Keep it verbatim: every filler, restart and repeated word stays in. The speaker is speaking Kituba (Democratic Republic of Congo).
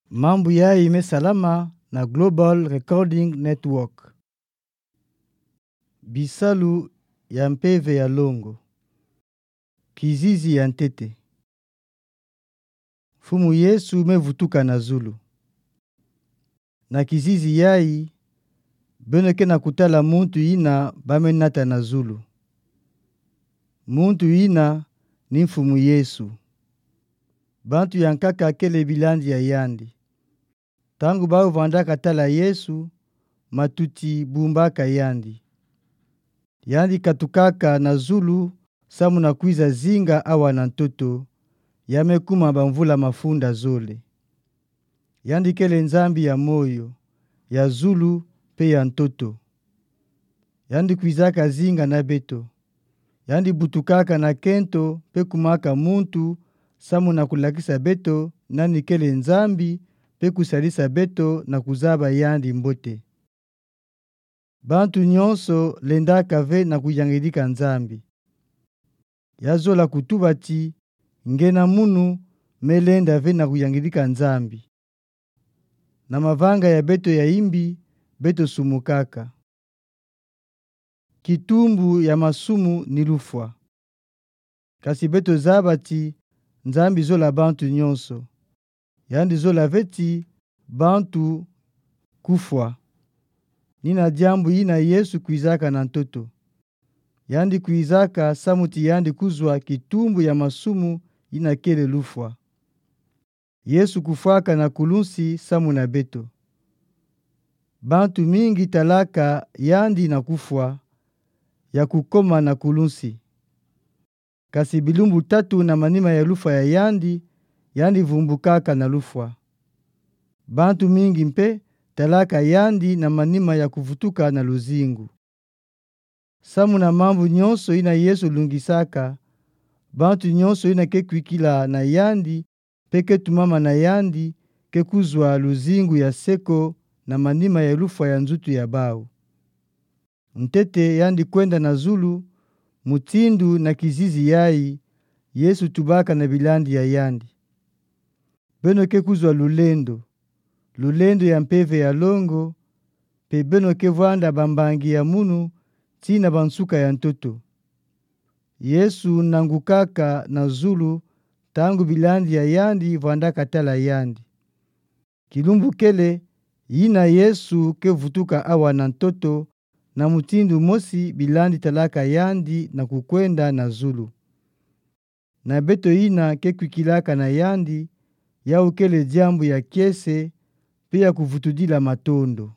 Mambu yayi mesalama na Global Recording Network. Bisalu ya mpeve ya longo. Kizizi ya ntete. Mfumu Yesu mevutuka na zulu. Na kizizi yayi, beno ke na kutala muntu yina bamenata na zulu. Muntu yina ni Mfumu Yesu. Bantu ya nkaka kele bilandi ya yandi. Ntangu bawu vandaka tala Yesu, matuti bumbaka yandi. Yandi katukaka na zulu samu na kwiza zinga awa na ntoto, ya mekuma bamvula mafunda zole. Yandi kele Nzambi ya moyo, ya zulu mpe ya ntoto. Yandi kwizaka zinga na beto. Yandi butukaka na kento mpe kumaka muntu samu na kulakisa beto nani kele Nzambi mpe kusalisa beto na kuzaba yandi mbote. Bantu nyonso lendaka ve na kuyangidika Nzambi. Ya zola kutuba ti, nge na munu melenda ve na kuyangidika Nzambi. Na mavanga ya beto ya imbi, beto sumukaka. Kitumbu ya masumu ni lufwa. Kasi beto zaba ti, Nzambi zola bantu nyonso. Yandi zola ve ti bantu kufwa. Ni na diambu yina Yesu kwizaka na ntoto. Yandi kwizaka samu ti yandi kuzwa kitumbu ya masumu yina kele lufwa. Yesu kufwaka na kulunsi samu na beto. Bantu mingi talaka yandi na kufwa, ya kukoma na kulunsi. Kasi bilumbu tatu na manima ya lufwa ya yandi, yandi vumbukaka na lufwa. Bantu mingi mpe talaka yandi na manima ya kuvutuka na luzingu. Samu na mambu nyonso yina Yesu lungisaka, bantu nyonso yina ke kwikila na yandi mpe ke tumama na yandi, ke kuzwa luzingu ya seko na manima ya lufwa ya nzutu ya bawu. Ntete yandi kwenda na zulu, mutindu na kizizi yayi, Yesu tubaka na bilandi ya yandi. Beno ke kuzwa lulendo, lulendo ya mpeve ya longo, mpe beno ke vwanda bambangi ya munu tii na bansuka ya ntoto. Yesu nangukaka na zulu, ntangu bilandi ya yandi vwandaka tala yandi. Kilumbu kele, yina Yesu ke vutuka awa na ntoto, na mutindu mosi bilandi talaka yandi na kukwenda na zulu. Na beto yina ke kwikilaka na yandi, yawu kele diambu ya kiese, mpe ya kuvutudila matondo.